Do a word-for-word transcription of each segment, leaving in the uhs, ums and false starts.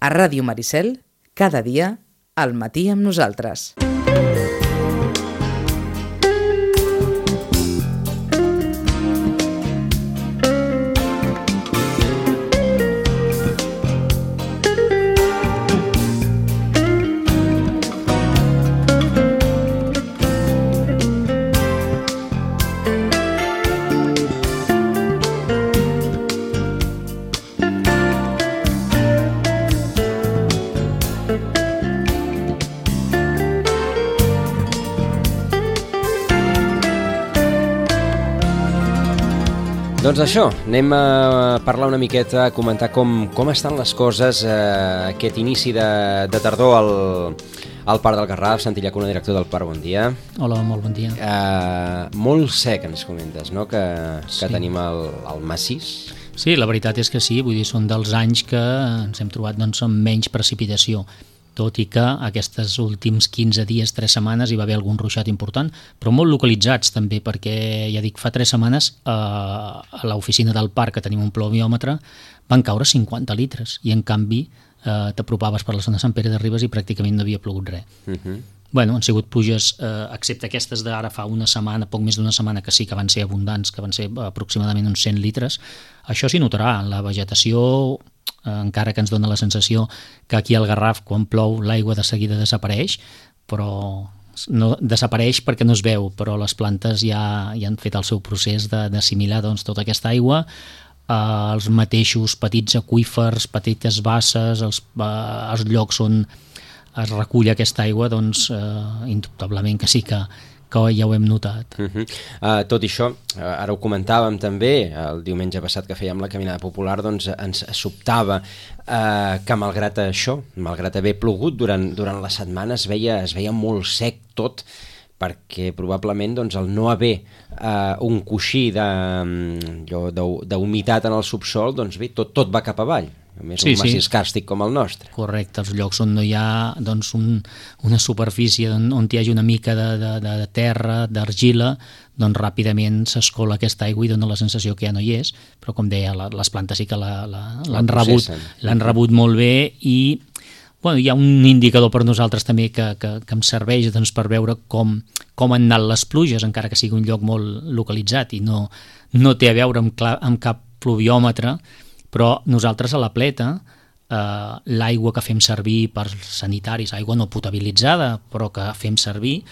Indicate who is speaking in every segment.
Speaker 1: A Ràdio Maricel, cada dia, al matí amb nosaltres.
Speaker 2: Doncs això, anem a parlar una miqueta, a comentar com, com estan les coses eh, aquest inici de, de tardor al, al Parc del Garraf. Santi Llacuna, director del parc, bon dia.
Speaker 3: Hola, molt bon dia.
Speaker 2: Eh, molt sec, ens comentes, no?, que, que
Speaker 3: Sí.
Speaker 2: tenim el, el massís.
Speaker 3: Sí, la veritat és que sí, vull dir, són dels anys que ens hem trobat doncs, amb menys precipitació, tot i que aquests últims quinze dies, tres setmanes, hi va haver algun ruixat important, però molt localitzats també, perquè, ja dic, fa tres setmanes eh, a l'oficina del parc, que tenim un pluviòmetre, van caure cinquanta litres, i en canvi eh, t'apropaves per la zona de Sant Pere de Ribes i pràcticament no havia plogut res.
Speaker 2: Uh -huh.
Speaker 3: Bueno, han sigut pluges, eh, excepte aquestes d'ara fa una setmana, poc més d'una setmana, que sí que van ser abundants, que van ser aproximadament uns cent litres. Això s'hi notarà. La vegetació, eh, encara que ens dona la sensació que aquí al Garraf, quan plou, l'aigua de seguida desapareix, però no desapareix perquè no es veu, però les plantes ja, ja han fet el seu procés de, d'assimilar doncs, tota aquesta aigua. Eh, els mateixos petits aqüífers, petites basses, els, eh, els llocs on es recull aquesta aigua, doncs eh, indubtablement que sí que, que ja ho hem notat.
Speaker 2: Uh -huh. uh, tot i això, uh, ara ho comentàvem també, el diumenge passat que fèiem la caminada popular, doncs ens sobtava uh, que malgrat això, malgrat haver plogut durant, durant la setmana, es veia, es veia molt sec tot, perquè probablement doncs, el no haver uh, un coixí d'humitat en el subsol, doncs bé, tot, tot va cap avall. A més,
Speaker 3: Sí,
Speaker 2: un massís
Speaker 3: sí.
Speaker 2: càrstic com el nostre.
Speaker 3: Correcte, els llocs on no hi ha doncs, un, una superfície on, on hi hagi una mica de, de, de terra, d'argila, doncs ràpidament s'escola aquesta aigua i dona la sensació que ja no hi és, però com deia, la, les plantes sí que la, la, l'han, rebut, l'han rebut molt bé i bueno, hi ha un indicador per nosaltres també que, que, que em serveix doncs, per veure com, com han anat les pluges, encara que sigui un lloc molt localitzat i no, no té a veure amb, clar, amb cap pluviòmetre, però nosaltres a la Pleta, eh, l'aigua que fem servir per sanitaris, aigua no potabilitzada, però que fem servir,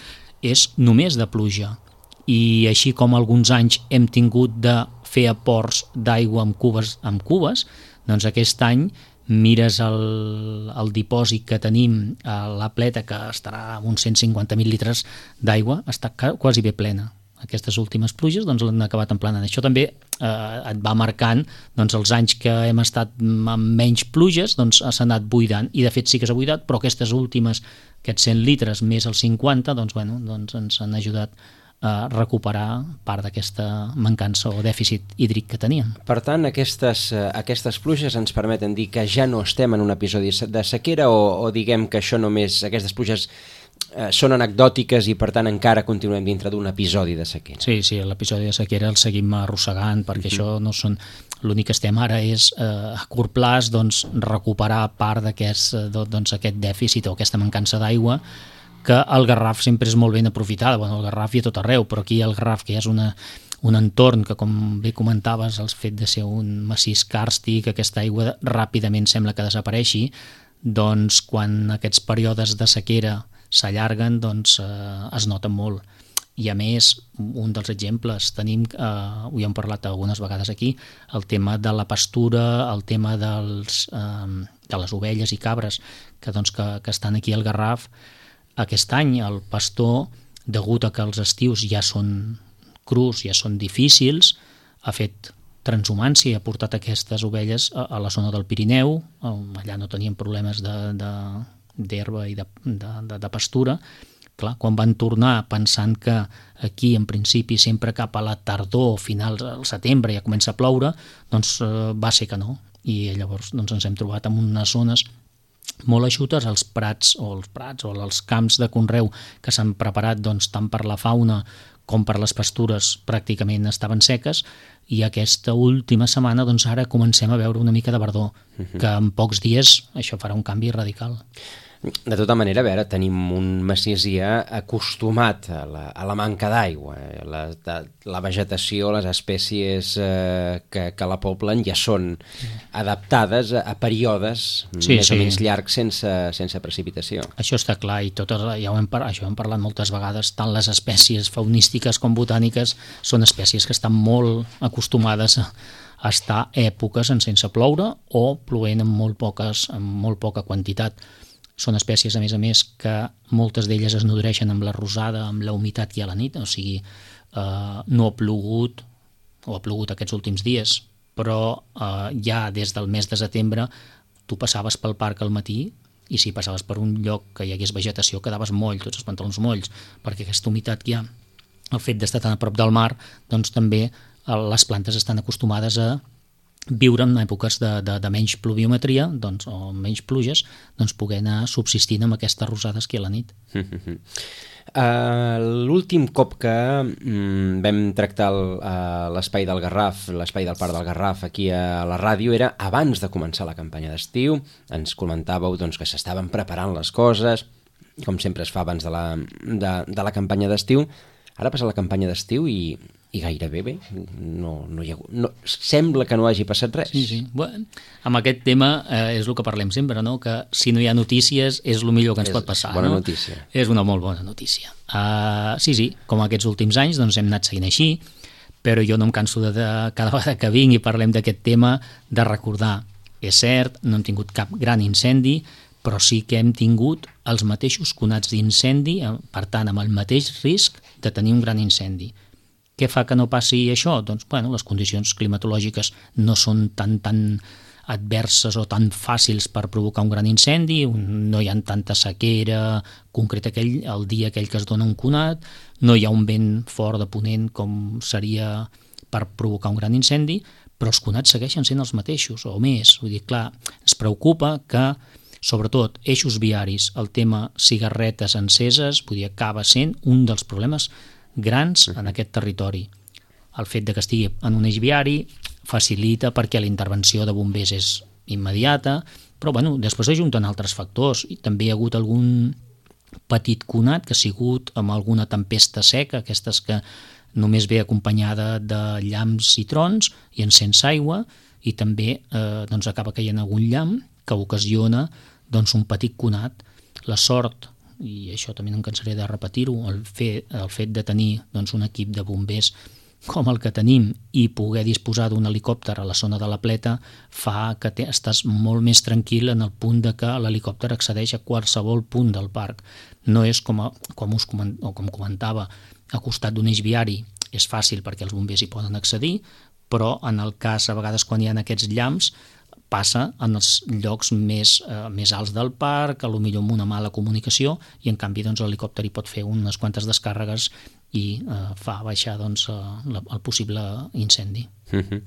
Speaker 3: és només de pluja. I així com alguns anys hem tingut de fer aports d'aigua amb cubes, amb cubes, doncs aquest any mires el, el dipòsit que tenim a la Pleta, que estarà amb uns cent cinquanta mil litres d'aigua, està quasi bé plena. Aquestes últimes pluges doncs, l'han acabat emplenant. Això també eh, et va marcant doncs, els anys que hem estat amb menys pluges doncs, s'ha anat buidant, i de fet sí que s'ha buidat, però aquestes últimes, aquests cent litres més els cinquanta, doncs, bueno, doncs ens han ajudat a recuperar part d'aquesta mancança o dèficit hídric que teníem.
Speaker 2: Per tant, aquestes, aquestes pluges ens permeten dir que ja no estem en un episodi de sequera o, o diguem que això només, aquestes pluges eh, són anecdòtiques i per tant encara continuem dintre d'un episodi de sequera.
Speaker 3: Sí, sí, l'episodi de sequera el seguim arrossegant perquè uh-huh. això no són... L'únic que estem ara és eh, a curt plaç doncs, recuperar part d'aquest doncs, aquest dèficit o aquesta mancança d'aigua que al Garraf sempre és molt ben aprofitada. Bueno, el Garraf hi ha tot arreu, però aquí al Garraf, que és una, un entorn que, com bé comentaves, el fet de ser un massís càrstic, aquesta aigua ràpidament sembla que desapareixi, doncs quan aquests períodes de sequera s'allarguen, doncs eh, es noten molt. I a més, un dels exemples, tenim, eh, ho hem parlat algunes vegades aquí, el tema de la pastura, el tema dels, eh, de les ovelles i cabres que, doncs, que, que estan aquí al Garraf. Aquest any el pastor, degut a que els estius ja són crus, ja són difícils, ha fet transhumància i ha portat aquestes ovelles a, a la zona del Pirineu. Allà no tenien problemes de, de, d'herba i de, de, de, de pastura. Clar, quan van tornar pensant que aquí en principi sempre cap a la tardor, finals al setembre ja comença a ploure, doncs eh, va ser que no. I llavors doncs, ens hem trobat en unes zones molt eixutes, els prats o els prats o els camps de conreu que s'han preparat doncs, tant per la fauna com per les pastures pràcticament estaven seques, i aquesta última setmana doncs ara comencem a veure una mica de verdor, que en pocs dies això farà un canvi radical.
Speaker 2: De tota manera, a veure, tenim un massís ja acostumat a la, a la manca d'aigua. La, la vegetació, les espècies eh, que, que la poblen ja són adaptades a, a períodes sí, més sí. o menys llargs sense, sense precipitació.
Speaker 3: Això està clar, i totes, ja ho hem, això hem parlat moltes vegades, tant les espècies faunístiques com botàniques són espècies que estan molt acostumades a, a estar èpoques en sense ploure o plovent amb molt, poques, amb molt poca quantitat. Són espècies, a més a més, que moltes d'elles es nodreixen amb la rosada, amb la humitat i a la nit, o sigui, eh, no ha plogut, o ha plogut aquests últims dies, però eh, ja des del mes de setembre tu passaves pel parc al matí i si passaves per un lloc que hi hagués vegetació quedaves moll, tots els pantalons molls, perquè aquesta humitat que hi ha, el fet d'estar tan a prop del mar, doncs també eh, les plantes estan acostumades a viure en èpoques de, de, de menys pluviometria doncs, o menys pluges, doncs poder anar subsistint amb aquestes rosades que a la nit.
Speaker 2: Uh, L'últim cop que mm, vam tractar uh, l'espai del Garraf, l'espai del Parc del Garraf aquí a la ràdio era abans de començar la campanya d'estiu. Ens comentàveu doncs, que s'estaven preparant les coses, com sempre es fa abans de la, de, de la campanya d'estiu. Ara passa la campanya d'estiu i i gairebé bé, no, no hi ha, no, sembla que no hagi passat res.
Speaker 3: Sí, sí. Bueno, amb aquest tema eh, és el que parlem sempre, no? Que si no hi ha notícies és el millor que ens
Speaker 2: és
Speaker 3: pot passar.
Speaker 2: Bona
Speaker 3: no?
Speaker 2: notícia.
Speaker 3: És una molt bona notícia. Uh, sí, sí, com aquests últims anys doncs hem anat seguint així, però jo no em canso de, de cada vegada que vinc i parlem d'aquest tema de recordar. És cert, no hem tingut cap gran incendi, però sí que hem tingut els mateixos conats d'incendi, per tant, amb el mateix risc de tenir un gran incendi. Què fa que no passi això? Doncs, bueno, les condicions climatològiques no són tan, tan adverses o tan fàcils per provocar un gran incendi, no hi ha tanta sequera concreta aquell, el dia aquell que es dona un conat, no hi ha un vent fort de ponent com seria per provocar un gran incendi, però els conats segueixen sent els mateixos o més. Vull dir, clar, ens preocupa que sobretot eixos viaris, el tema cigarretes enceses, vull dir, acaba sent un dels problemes grans en aquest territori. El fet de que estigui en un eix viari facilita perquè la intervenció de bombers és immediata, però bueno, després ajunten altres factors i també hi ha hagut algun petit conat que ha sigut amb alguna tempesta seca, aquestes que només ve acompanyada de llamps i trons i encens aigua i també eh, doncs acaba caient algun llamp que ocasiona doncs, un petit conat. La sort, i això també no em cansaré de repetir-ho, el fet, el fet de tenir doncs, un equip de bombers com el que tenim i poder disposar d'un helicòpter a la zona de la Pleta fa que te, estàs molt més tranquil en el punt de que l'helicòpter accedeix a qualsevol punt del parc. No és com, a, com, us coment, o com comentava, a costat d'un eix viari és fàcil perquè els bombers hi poden accedir, però en el cas, a vegades, quan hi ha aquests llamps, passa en els llocs més, eh, més alts del parc, a lo millor amb una mala comunicació, i en canvi doncs, l'helicòpter hi pot fer unes quantes descàrregues i eh, fa baixar doncs, eh, el possible incendi.
Speaker 2: Uh-huh.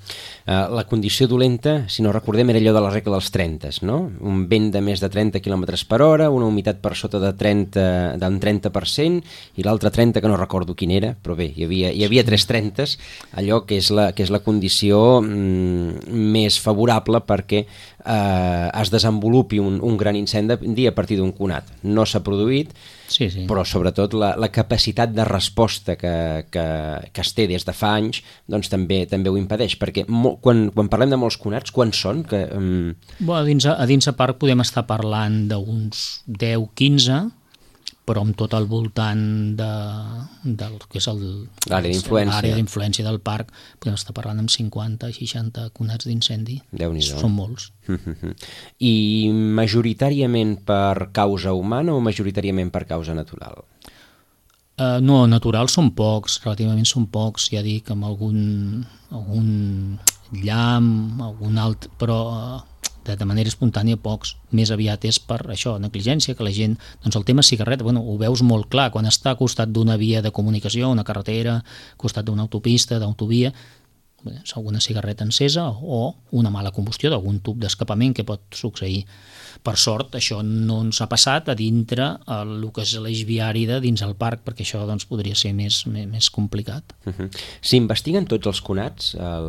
Speaker 2: Uh, la condició dolenta, si no recordem, era allò de la regla dels trenta, no? Un vent de més de trenta quilòmetres per hora, una humitat per sota de trenta, d'un trenta per cent i l'altre trenta que no recordo quin era, però bé, hi havia, hi havia tres trentes, allò que és la, que és la condició mm, més favorable perquè eh, es desenvolupi un, un gran incendi a partir d'un conat. No s'ha produït,
Speaker 3: sí, sí.
Speaker 2: però sobretot la, la capacitat de resposta que, que, que es té des de fa anys doncs també, també ho impedeix, perquè mo, quan, quan parlem de molts conats, quants són? Que, um...
Speaker 3: bueno, a, dins, a dins a parc podem estar parlant d'uns deu quinze, però amb tot al voltant de, del que és
Speaker 2: l'àrea d'influència.
Speaker 3: L'àrea d'influència del parc podem estar parlant amb cinquanta seixanta conats d'incendi.
Speaker 2: Déu-n'hi-do.
Speaker 3: Són molts.
Speaker 2: I majoritàriament per causa humana o majoritàriament per causa natural?
Speaker 3: Uh, no, natural són pocs, relativament són pocs, ja dic, amb algun, algun llamp, algun altre, però uh, de, de manera espontània pocs. Més aviat és per això, negligència, que la gent, doncs el tema cigarreta, bueno, ho veus molt clar, quan està al costat d'una via de comunicació, una carretera, al costat d'una autopista, d'autovia, alguna cigarreta encesa o una mala combustió d'algun tub d'escapament que pot succeir. Per sort, això no ens ha passat a dintre el que és l'eix viari de dins el parc, perquè això doncs, podria ser més, més, més complicat.
Speaker 2: Uh-huh. S'investiguen tots els conats? El,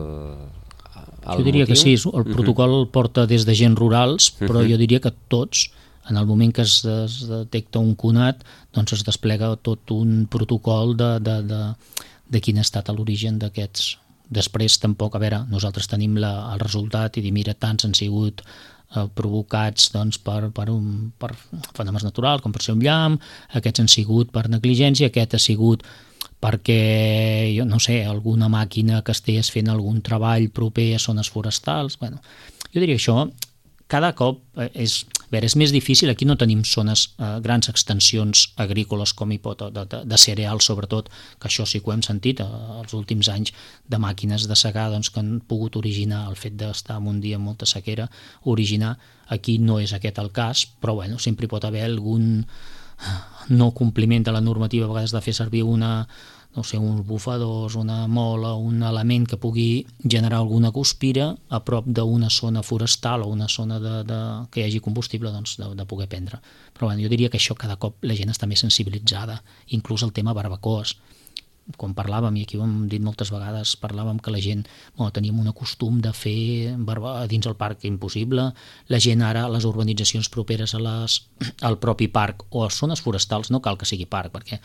Speaker 2: el
Speaker 3: jo diria
Speaker 2: motiu?
Speaker 3: que sí, el protocol uh-huh. porta des d'agents rurals, però uh-huh. jo diria que tots, en el moment que es, es detecta un conat, doncs es desplega tot un protocol de, de, de, de quin ha estat l'origen d'aquests. Després tampoc, a veure, nosaltres tenim la, el resultat i dir, mira, tants han sigut eh, provocats doncs, per, per, un, per fenòmens naturals, com per ser un llamp, aquests han sigut per negligència, aquest ha sigut perquè, jo no sé, alguna màquina que estigués fent algun treball proper a zones forestals. Bueno, jo diria que això cada cop és, a veure, és més difícil. Aquí no tenim zones, eh, grans extensions agrícoles com hi pot, de, de, de cereals sobretot, que això sí que ho hem sentit eh, els últims anys, de màquines de segar doncs, que han pogut originar el fet d'estar en un dia amb molta sequera, originar. Aquí no és aquest el cas, però bueno, sempre hi pot haver algun no compliment de la normativa, a vegades de fer servir una no sé, uns bufadors, una mola, un element que pugui generar alguna guspira a prop d'una zona forestal o una zona de, de, que hi hagi combustible, doncs, de, de poder prendre. Però bueno, jo diria que això cada cop la gent està més sensibilitzada, inclús el tema barbacoes. Quan parlàvem, i aquí ho hem dit moltes vegades, parlàvem que la gent, bueno, teníem un costum de fer barba dins el parc impossible, la gent ara, les urbanitzacions properes a les, al propi parc o a zones forestals, no cal que sigui parc, perquè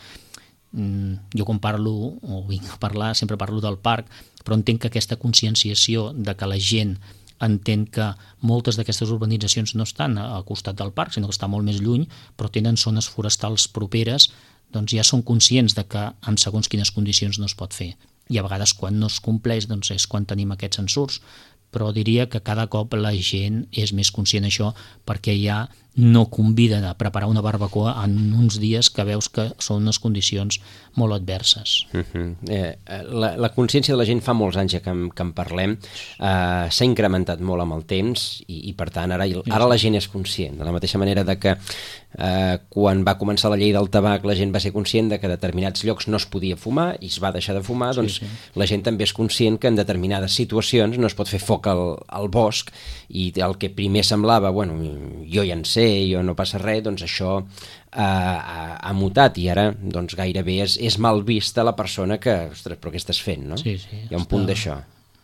Speaker 3: jo quan parlo, o vinc a parlar, sempre parlo del parc, però entenc que aquesta conscienciació de que la gent entén que moltes d'aquestes urbanitzacions no estan al costat del parc, sinó que estan molt més lluny, però tenen zones forestals properes, doncs ja són conscients de que en segons quines condicions no es pot fer. I a vegades quan no es compleix doncs és quan tenim aquests censurs, però diria que cada cop la gent és més conscient d'això perquè ja no conviden a preparar una barbacoa en uns dies que veus que són unes condicions molt adverses.
Speaker 2: Uh-huh. eh, la, la consciència de la gent fa molts anys ja que en, que en parlem, eh, s'ha incrementat molt amb el temps i, i per tant ara, ara la gent és conscient, de la mateixa manera de que eh, quan va començar la llei del tabac la gent va ser conscient de que a determinats llocs no es podia fumar i es va deixar de fumar, doncs sí, sí. La gent també és conscient que en determinades situacions no es pot fer foc al, al bosc i el que primer semblava, bueno, jo ja en sé, jo no passa res, doncs això eh, ha, ha mutat i ara doncs gairebé és, és mal vista la persona que, ostres, però què estàs fent, no?
Speaker 3: Sí, sí.
Speaker 2: Hi ha un punt d'això.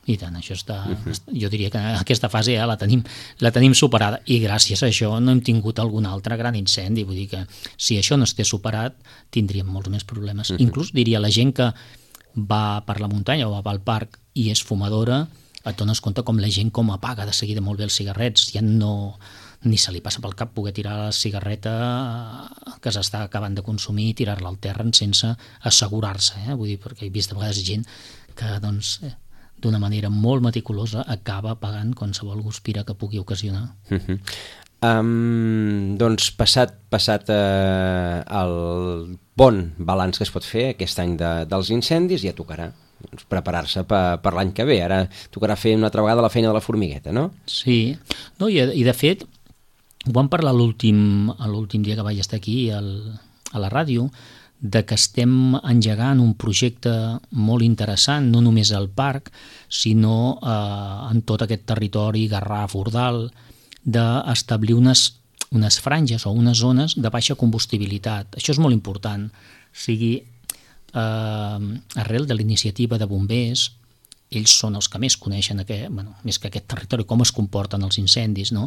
Speaker 3: I tant, això està... Uh-huh. Jo diria que aquesta fase ja la tenim, la tenim superada i gràcies a això no hem tingut algun altre gran incendi, vull dir que si això no estés superat tindríem molts més problemes. Uh-huh. Inclús diria la gent que va per la muntanya o va al parc i és fumadora, et dones compte com la gent com apaga de seguida molt bé els cigarrets, ja no... ni se li passa pel cap poder tirar la cigarreta que s'està acabant de consumir i tirar-la al terra sense assegurar-se, eh? Vull dir, perquè he vist a vegades gent que doncs, eh, d'una manera molt meticulosa acaba pagant qualsevol guspira que pugui ocasionar.
Speaker 2: Uh-huh. Um, doncs passat, passat eh, el bon balanç que es pot fer aquest any de, dels incendis, ja tocarà doncs, preparar-se per, per l'any que ve. Ara tocarà fer una altra vegada la feina de la formigueta, no?
Speaker 3: Sí, no, i, i de fet ho vam parlar l'últim l'últim dia que vaig estar aquí al, a la ràdio, de que estem engegant un projecte molt interessant, no només al parc, sinó eh, en tot aquest territori Garraf-Ordal, d'establir unes, unes franges o unes zones de baixa combustibilitat. Això és molt important. O sigui, eh, arrel de la iniciativa de bombers, ells són els que més coneixen aquest, bueno, més que aquest territori, com es comporten els incendis, no?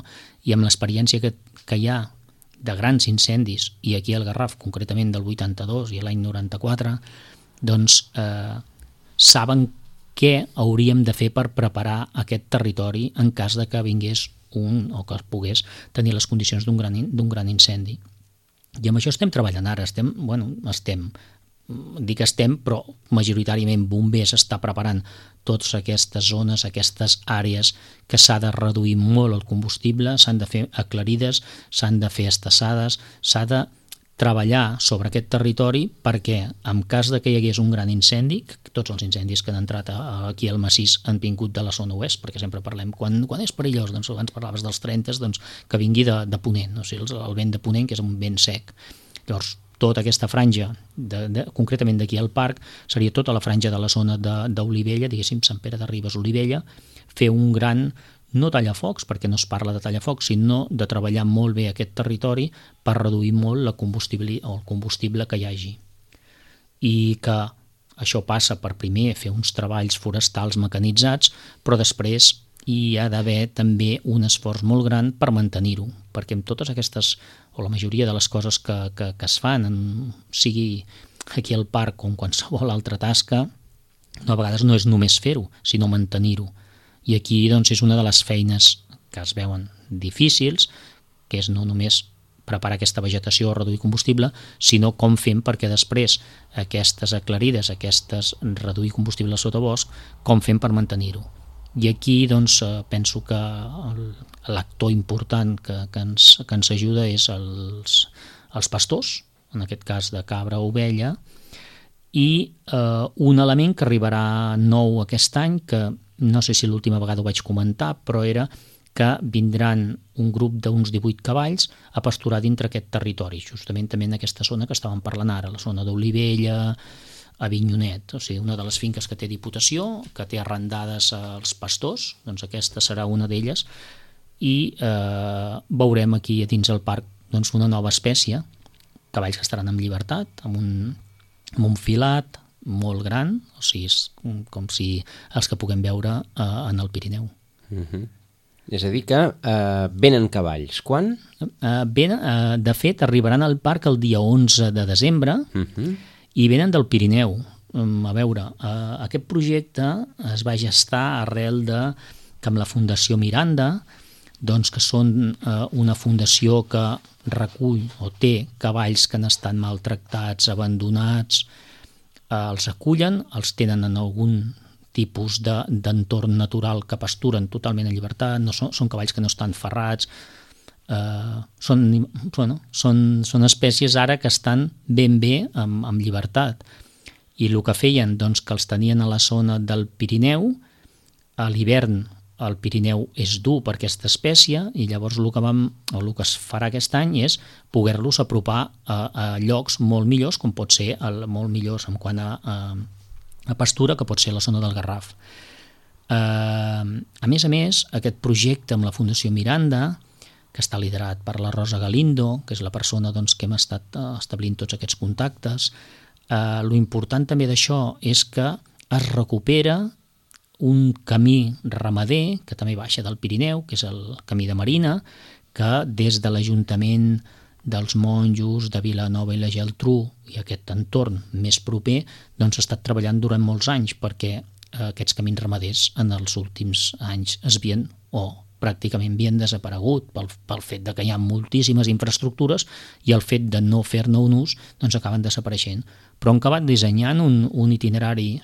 Speaker 3: I amb l'experiència que, que hi ha de grans incendis, i aquí al Garraf concretament del vuitanta-dos i l'any noranta-quatre, doncs eh, saben què hauríem de fer per preparar aquest territori en cas de que vingués un o que es pogués tenir les condicions d'un gran, d'un gran incendi. I amb això estem treballant ara, estem, bueno, estem, dic estem, però majoritàriament bombers està preparant totes aquestes zones, aquestes àrees que s'ha de reduir molt el combustible, s'han de fer aclarides, s'han de fer estassades, s'ha de treballar sobre aquest territori perquè en cas de que hi hagués un gran incendi, tots els incendis que han entrat aquí al massís han vingut de la zona oest, perquè sempre parlem, quan, quan és perillós, doncs abans parlaves dels trenta, doncs que vingui de, de ponent, o sigui, el vent de ponent, que és un vent sec. Llavors, tota aquesta franja, de, de, concretament d'aquí al parc, seria tota la franja de la zona d'Olivella, diguéssim, Sant Pere de Ribes, Olivella, fer un gran, no tallafocs, perquè no es parla de tallafocs, sinó de treballar molt bé aquest territori per reduir molt la combustible, o el combustible que hi hagi. I que això passa per primer fer uns treballs forestals mecanitzats, però després hi ha d'haver també un esforç molt gran per mantenir-ho, perquè amb totes aquestes, o la majoria de les coses que, que, que es fan, en, sigui aquí al parc com qualsevol altra tasca, no, a vegades no és només fer-ho, sinó mantenir-ho. I aquí doncs, és una de les feines que es veuen difícils, que és no només preparar aquesta vegetació o reduir combustible, sinó com fem perquè després aquestes aclarides, aquestes reduir combustible al sotabosc, com fem per mantenir-ho. I aquí doncs, penso que l'actor important que, que, ens, que ens ajuda és els, els pastors, en aquest cas de cabra o ovella, i eh, un element que arribarà nou aquest any, que no sé si l'última vegada ho vaig comentar, però era que vindran un grup d'uns divuit cavalls a pasturar dintre aquest territori, justament també en aquesta zona que estàvem parlant ara, la zona d'Olivella, Avinyonet, o sigui, una de les finques que té Diputació, que té arrendades als pastors, doncs aquesta serà una d'elles, i eh, veurem aquí a dins el parc doncs, una nova espècie, cavalls que estaran en llibertat, amb un, amb un filat molt gran, o sigui, és com si els que puguem veure eh, en el Pirineu.
Speaker 2: Uh-huh. És a dir que eh, venen cavalls. Quan?
Speaker 3: Eh, venen, eh, de fet, arribaran al parc el dia onze de desembre, uh-huh. i venen del Pirineu. A veure, eh, aquest projecte es va gestar arrel de que amb la Fundació Miranda, doncs que són eh, una fundació que recull o té cavalls que han estat maltractats, abandonats, eh, els acullen, els tenen en algun tipus d'entorn natural que pasturen totalment en llibertat, no són, són cavalls que no estan ferrats, Uh, són, bueno, són, són espècies ara que estan ben bé amb, amb llibertat, i el que feien doncs, que els tenien a la zona del Pirineu. A l'hivern el Pirineu és dur per aquesta espècie, i llavors el que, vam, o el que es farà aquest any és poder-los apropar a, a llocs molt millors, com pot ser el, molt millors en quant a, a, a pastura, que pot ser la zona del Garraf. Uh, a més a més, aquest projecte amb la Fundació Miranda, que està liderat per la Rosa Galindo, que és la persona doncs, que hem estat establint tots aquests contactes. Eh, lo important també d'això és que es recupera un camí ramader, que també baixa del Pirineu, que és el camí de Marina, que des de l'Ajuntament dels Monjos, de Vilanova i la Geltrú i aquest entorn més proper, doncs ha estat treballant durant molts anys perquè eh, aquests camins ramaders en els últims anys es havien o pràcticament havien desaparegut pel, pel fet de que hi ha moltíssimes infraestructures i el fet de no fer-ne un ús doncs acaben desapareixent. Però han acabat dissenyant un, un itinerari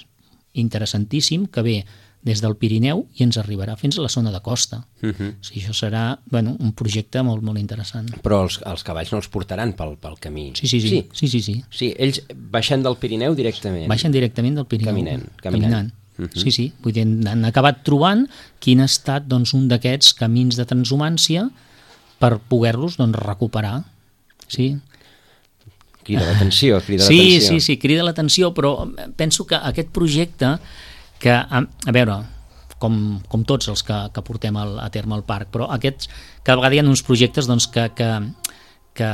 Speaker 3: interessantíssim que ve des del Pirineu i ens arribarà fins a la zona de costa. Uh-huh. O sigui, això serà bueno, un projecte molt, molt interessant.
Speaker 2: Però els, els cavalls no els portaran pel, pel camí.
Speaker 3: Sí sí sí. Sí. sí, sí, sí.
Speaker 2: Sí, ells baixen del Pirineu directament.
Speaker 3: Baixen directament del Pirineu.
Speaker 2: Caminant. Caminant. caminant.
Speaker 3: Uh-huh. Sí, sí, vull dir, han acabat trobant quin ha estat doncs, un d'aquests camins de transhumància per poder-los doncs, recuperar. Sí.
Speaker 2: Crida l'atenció, crida
Speaker 3: sí,
Speaker 2: l'atenció.
Speaker 3: Sí, sí, crida l'atenció, però penso que aquest projecte, que, a, a veure, com, com tots els que, que portem al, a terme al parc, però aquests, cada vegada hi ha uns projectes doncs, que, que, que,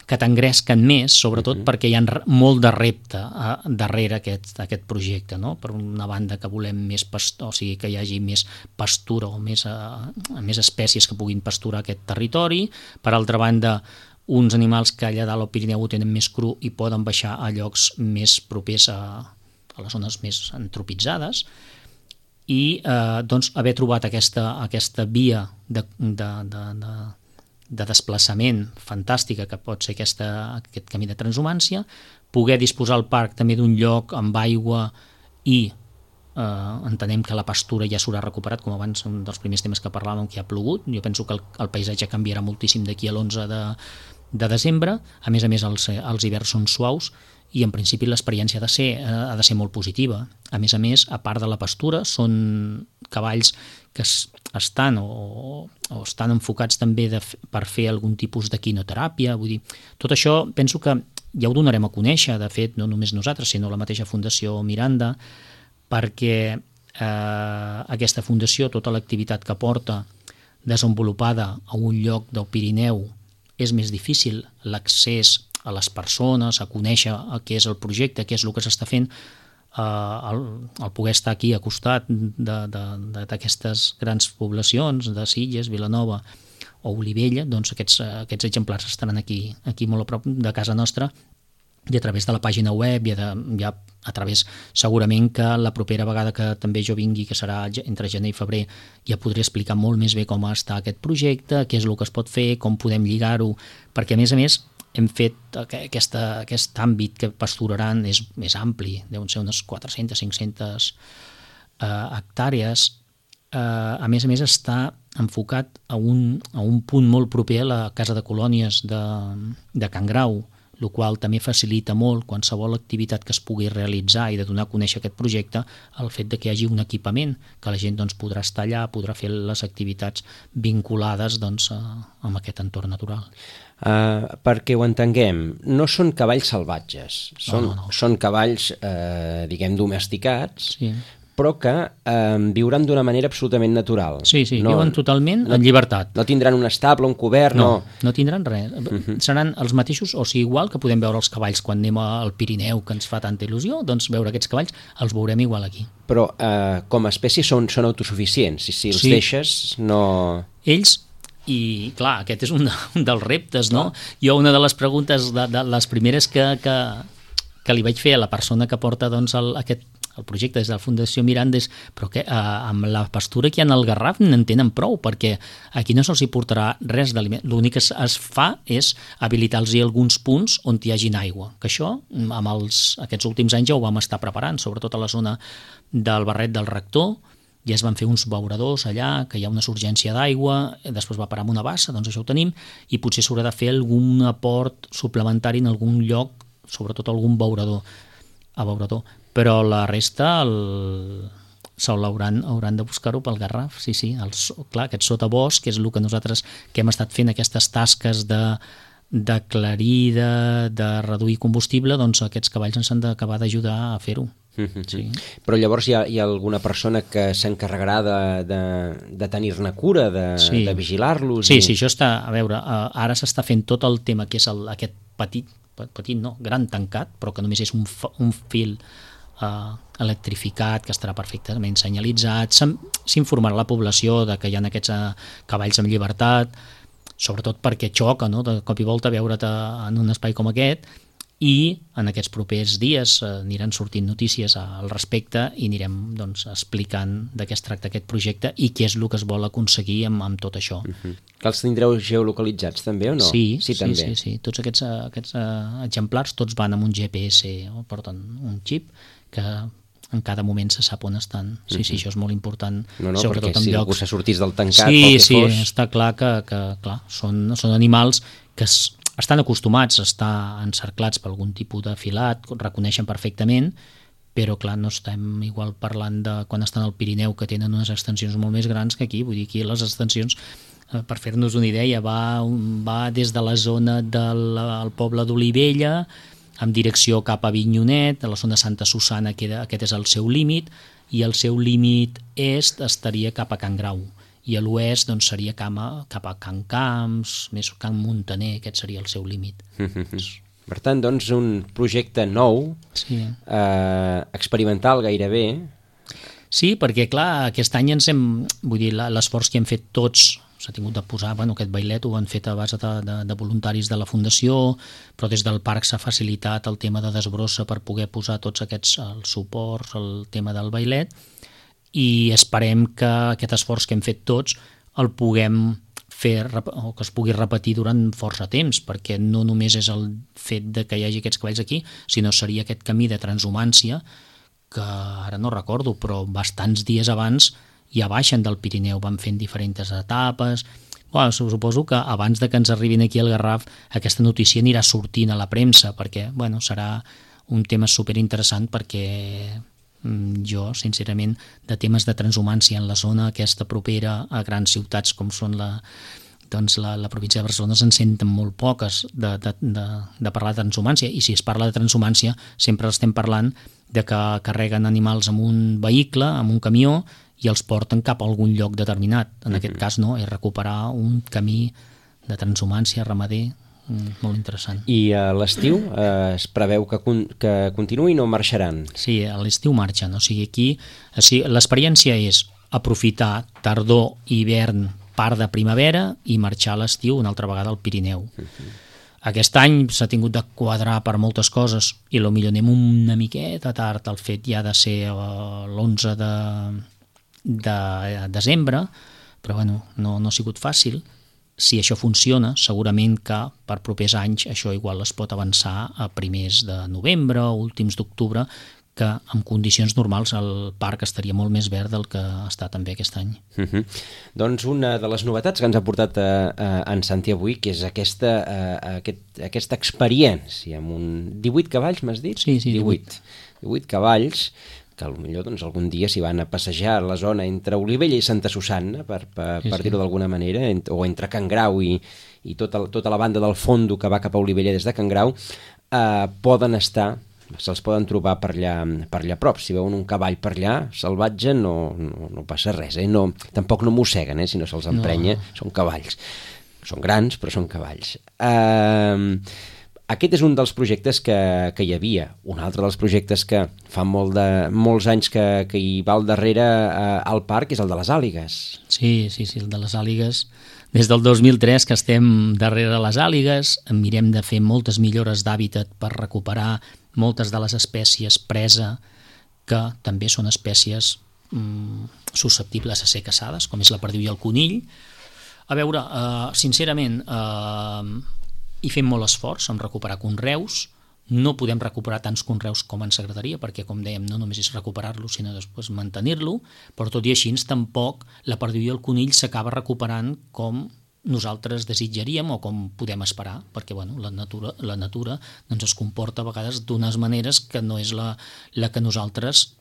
Speaker 3: que t'engresquen més, sobretot uh-huh. perquè hi ha molt de repte a, darrere aquest, aquest projecte, no? Per una banda que volem més pastor, o sigui que hi hagi més pastura o més, uh, més espècies que puguin pasturar aquest territori, per altra banda uns animals que allà dalt al Pirineu ho tenen més cru i poden baixar a llocs més propers a, a les zones més antropitzades, i eh, doncs haver trobat aquesta, aquesta via de, de, de, de de desplaçament fantàstica que pot ser aquesta, aquest camí de transhumància, poder disposar al parc també d'un lloc amb aigua i eh, entenem que la pastura ja s'haurà recuperat, com abans un dels primers temes que parlàvem, que ha plogut. Jo penso que el, el paisatge canviarà moltíssim d'aquí a l'onze de, de desembre. A més a més els, els hiverns són suaus i en principi l'experiència ha de ser, ha de ser molt positiva. A més a més, a part de la pastura, són cavalls que es, estan o, o estan enfocats també de, per fer algun tipus de quinoteràpia. Vull dir, tot això penso que ja ho donarem a conèixer, de fet, no només nosaltres, sinó la mateixa Fundació Miranda, perquè eh, aquesta fundació, tota l'activitat que porta desenvolupada a un lloc del Pirineu, és més difícil l'accés a les persones, a conèixer què és el projecte, què és el que s'està fent, eh, el, el poder estar aquí a costat d'aquestes grans poblacions, de Sitges, Vilanova o Olivella, doncs aquests, aquests exemplars estaran aquí, aquí molt a prop de casa nostra, i a través de la pàgina web, i a, ja a través, segurament que la propera vegada que també jo vingui, que serà entre gener i febrer, ja podré explicar molt més bé com està aquest projecte, què és el que es pot fer, com podem lligar-ho, perquè a més a més hem fet aquesta, aquest àmbit que pasturaran és més ampli, deuen ser unes quatre-centes, cinc-centes eh, hectàrees. Eh, a més a més està enfocat a un, a un punt molt proper a la Casa de Colònies de, de Can Grau, el qual també facilita molt qualsevol activitat que es pugui realitzar i de donar a conèixer aquest projecte, el fet de que hi hagi un equipament, que la gent doncs, podrà estar allà, podrà fer les activitats vinculades doncs, a, amb aquest entorn natural.
Speaker 2: Uh, perquè ho entenguem, no són cavalls salvatges, són,
Speaker 3: no, no, no.
Speaker 2: són cavalls, eh, diguem, domesticats, sí, però que eh, viuran d'una manera absolutament natural.
Speaker 3: Sí, sí,
Speaker 2: no,
Speaker 3: viuen totalment
Speaker 2: no,
Speaker 3: en llibertat.
Speaker 2: No tindran un estable, un cobert, no.
Speaker 3: No, no tindran res. Uh-huh. Seran els mateixos, o sigui, igual que podem veure els cavalls quan anem al Pirineu, que ens fa tanta il·lusió, doncs veure aquests cavalls els veurem igual aquí.
Speaker 2: Però eh, com a espècie són, són autosuficients, si, si els
Speaker 3: sí.
Speaker 2: deixes no...
Speaker 3: Ells, i clar, aquest és un, un dels reptes, no? Ah. Jo una de les preguntes, de, de les primeres que, que, que li vaig fer a la persona que porta doncs, el, aquest el projecte des de la Fundació Miranda és però que eh, amb la pastura que hi ha al Garraf n'en tenen prou, perquè aquí no se'ls hi portarà res d'aliment. L'únic que es, es fa és habilitar-los alguns punts on hi hagin aigua, que això amb els, aquests últims anys ja ho vam estar preparant, sobretot a la zona del Barret del Rector, ja es van fer uns beuradors allà, que hi ha una surgència d'aigua, després va parar amb una bassa, doncs això ho tenim, i potser s'haurà de fer algun aport suplementari en algun lloc, sobretot algun beurador, a beurador. Però la resta el... hauran, hauran de buscar-ho pel Garraf, sí, sí, el, clar, aquest sotabosc, que és el que nosaltres que hem estat fent aquestes tasques de, d'aclarir, de, de reduir combustible, doncs aquests cavalls ens han d'acabar d'ajudar a fer-ho. Mm-hmm. Sí.
Speaker 2: Però llavors hi ha, hi ha alguna persona que s'encarregarà de, de, de tenir-ne cura, de, sí. de vigilar-los?
Speaker 3: Sí,
Speaker 2: i...
Speaker 3: sí, això està, a veure, ara s'està fent tot el tema que és el, aquest petit, petit no, gran tancat, però que només és un, un fil Uh, electrificat, que estarà perfectament senyalitzat, s'informarà la població de que hi ha aquests uh, cavalls amb llibertat, sobretot perquè xoca, no?, de cop i volta veure't en un espai com aquest, i en aquests propers dies uh, aniran sortint notícies al respecte i anirem doncs, explicant de què es tracta aquest projecte i què és el que es vol aconseguir amb, amb tot això.
Speaker 2: Uh-huh. Que els tindreu geolocalitzats també o no?
Speaker 3: Sí,
Speaker 2: sí,
Speaker 3: sí,
Speaker 2: també.
Speaker 3: sí, sí. Tots aquests, aquests uh, exemplars tots van amb un G P S, o porten un xip que en cada moment se sap on estan. Sí, sí, això és molt important.
Speaker 2: No, no,
Speaker 3: sobretot
Speaker 2: perquè
Speaker 3: en
Speaker 2: si
Speaker 3: llocs...
Speaker 2: algú se sortís del tancat
Speaker 3: sí,
Speaker 2: pel que
Speaker 3: sí,
Speaker 2: fos...
Speaker 3: Sí, està clar que, que clar, són, són animals que es, estan acostumats a estar encerclats per algun tipus de filat, reconeixen perfectament, però clar, no estem igual parlant de quan estan al Pirineu, que tenen unes extensions molt més grans que aquí. Vull dir, aquí les extensions, per fer-nos una idea, va, va des de la zona del poble d'Olivella, en direcció cap a Avinyonet, a la zona de Santa Susana, que aquest és el seu límit, i el seu límit est estaria cap a Can Grau, i a l'oest doncs, seria cap a, cap a Can Camps, més Can Montaner, aquest seria el seu límit.
Speaker 2: Per tant, doncs, un projecte nou, sí. eh, experimental gairebé.
Speaker 3: Sí, perquè clar, aquest any ens hem, vull dir, l'esforç que hem fet tots, s'ha tingut de posar, bueno, aquest bailet ho han fet a base de, de, de voluntaris de la Fundació, però des del parc s'ha facilitat el tema de desbrossa per poder posar tots aquests els suports, el tema del bailet, i esperem que aquest esforç que hem fet tots el puguem fer, o que es pugui repetir durant força temps, perquè no només és el fet de que hi hagi aquests cavalls aquí, sinó seria aquest camí de transhumància, que ara no recordo, però bastants dies abans ja baixen del Pirineu, van fent diferents etapes. Bueno, suposo que abans de que ens arribin aquí al Garraf aquesta notícia anirà sortint a la premsa, perquè bueno, serà un tema superinteressant, perquè jo, sincerament, de temes de transhumància en la zona aquesta propera a grans ciutats com són la, doncs la, la província de Barcelona se'n senten molt poques de, de, de, de parlar de transhumància, i si es parla de transhumància sempre estem parlant de que carreguen animals amb un vehicle, amb un camió, i els porten cap a algun lloc determinat. En mm-hmm. aquest cas no, és recuperar un camí de transhumància ramader molt interessant.
Speaker 2: I a l'estiu eh, es preveu que, con que continuïn o marxaran?
Speaker 3: Sí, a l'estiu marxen, o sigui, aquí o sigui, l'experiència és aprofitar tardor, hivern, part de primavera i marxar a l'estiu una altra vegada al Pirineu. Uh-huh. Aquest any s'ha tingut de quadrar per moltes coses i potser anem una miqueta tard. El fet ja de ser l'onze de, de desembre, però bueno, no, no ha sigut fàcil. Si això funciona, segurament que per propers anys això igual es pot avançar a primers de novembre o últims d'octubre, que en condicions normals el parc estaria molt més verd del que està també aquest any.
Speaker 2: Uh-huh. Doncs una de les novetats que ens ha portat a, a, en Santi avui, que és aquesta, a, aquest, aquesta experiència amb un divuit cavalls, m'has dit?
Speaker 3: Sí, sí,
Speaker 2: divuit. divuit cavalls, que potser doncs, algun dia s'hi van a passejar a la zona entre Olivella i Santa Susanna, per, per, sí, per dir-ho sí. d'alguna manera, ent o entre Can Grau i, i tota, tota la banda del fondo que va cap a Olivella des de Can Grau, eh, poden estar, se'ls poden trobar per allà, per allà a prop. Si veuen un cavall per allà, salvatge, no, no, no passa res, eh? no, tampoc no mosseguen, eh? Si no se'ls emprenya, no. Són cavalls. Són grans, però són cavalls. Eh... Aquest és un dels projectes que, que hi havia. Un altre dels projectes que fa molt de, molts anys que, que hi va al darrere eh, al parc és el de les àligues.
Speaker 3: Sí, sí, sí, el de les àligues. Des del dos mil tres que estem darrere les àligues, mirem de fer moltes millores d'hàbitat per recuperar moltes de les espècies presa, que també són espècies mm, susceptibles a ser caçades, com és la perdiu i el conill. A veure, eh, sincerament... Eh, i fem molt esforç en recuperar conreus. No podem recuperar tants conreus com ens agradaria, perquè, com dèiem, no només és recuperar-lo, sinó després mantenir-lo, però tot i així tampoc la perdiu i el conill s'acaba recuperant com nosaltres desitjaríem o com podem esperar, perquè bueno, la natura, la natura doncs es comporta a vegades d'unes maneres que no és la, la que nosaltres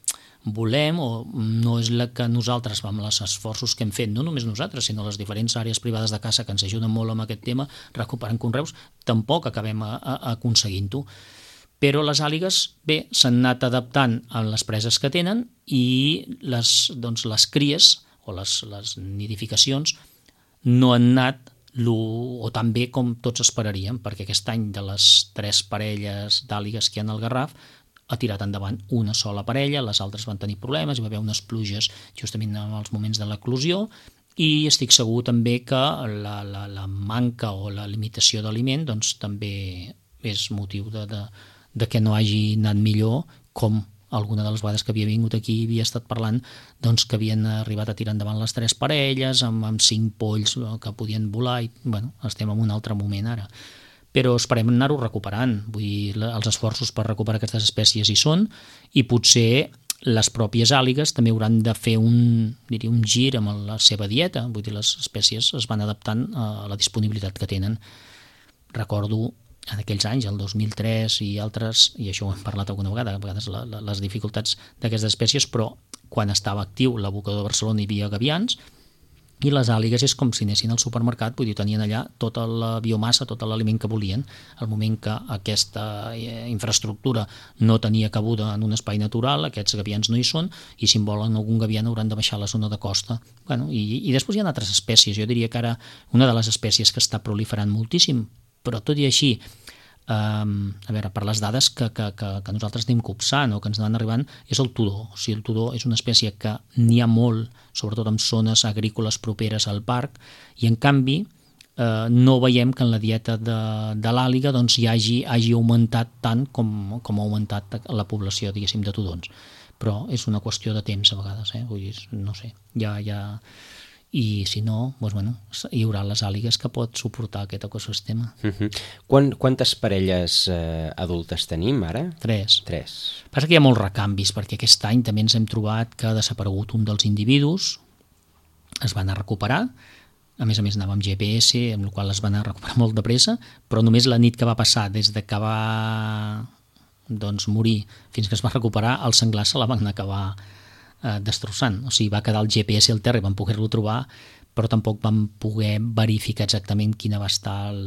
Speaker 3: volem, o no és la que nosaltres, amb els esforços que hem fet, no només nosaltres, sinó les diferents àrees privades de caça que ens ajuden molt amb aquest tema, recuperant conreus, tampoc acabem a, a, aconseguint-ho. Però les àligues, bé, s'han anat adaptant a les preses que tenen i les, doncs, les cries o les, les nidificacions no han anat lo, o tan bé com tots esperaríem, perquè aquest any de les tres parelles d'àligues que hi ha al Garraf ha tirat endavant una sola parella, les altres van tenir problemes, hi va haver unes pluges justament en els moments de l'eclosió, i estic segur també que la, la, la manca o la limitació d'aliment doncs, també és motiu de, de, de que no hagi anat millor, com alguna de les vegades que havia vingut aquí havia estat parlant doncs, que havien arribat a tirar endavant les tres parelles amb, amb cinc polls que podien volar, i bueno, estem en un altre moment ara. Però esperem anar-ho recuperant. Vull dir, els esforços per recuperar aquestes espècies hi són, i potser les pròpies àligues també hauran de fer un, diria, un gir amb la seva dieta. Vull dir, les espècies es van adaptant a la disponibilitat que tenen. Recordo en aquells anys, el dos mil tres i altres, i això ho hem parlat alguna vegada, a vegades la, la, les dificultats d'aquestes espècies, però quan estava actiu l'abocador de Barcelona hi havia gavians, i les àligues és com si anessin al supermercat, vull dir, tenien allà tota la biomassa, tot l'aliment que volien. Al moment que aquesta infraestructura no tenia cabuda en un espai natural, aquests gavians no hi són, i si en volen algun gavian hauran de baixar a la zona de costa. Bueno, i, i després hi ha altres espècies. Jo diria que ara una de les espècies que està proliferant moltíssim, però tot i així, Um, a veure, per les dades que, que, que, que nosaltres anem copsant o que ens van arribant, és el tudó. O sigui, el tudó és una espècie que n'hi ha molt, sobretot en zones agrícoles properes al parc, i en canvi eh, no veiem que en la dieta de, de l'àliga doncs, hi hagi, hagi augmentat tant com, com ha augmentat la població, diguéssim, de tudons. Però és una qüestió de temps a vegades, eh? Vull dir, no sé, ja... ja... i si no, doncs, bueno, hi haurà les àligues que pot suportar aquest ecosistema.
Speaker 2: Uh-huh. Quant, quantes parelles eh, adultes tenim ara?
Speaker 3: Tres.
Speaker 2: Tres.
Speaker 3: Passa que hi ha molts recanvis, perquè aquest any també ens hem trobat que ha desaparegut un dels individus, es van a recuperar, a més a més anava amb G P S, amb el qual es van a recuperar molt de pressa, però només la nit que va passar, des de que va doncs, morir fins que es va recuperar, el senglar se la van acabar destrossant, o sigui, va quedar el G P S al terra i van poder-lo trobar, però tampoc vam poder verificar exactament quina va estar el,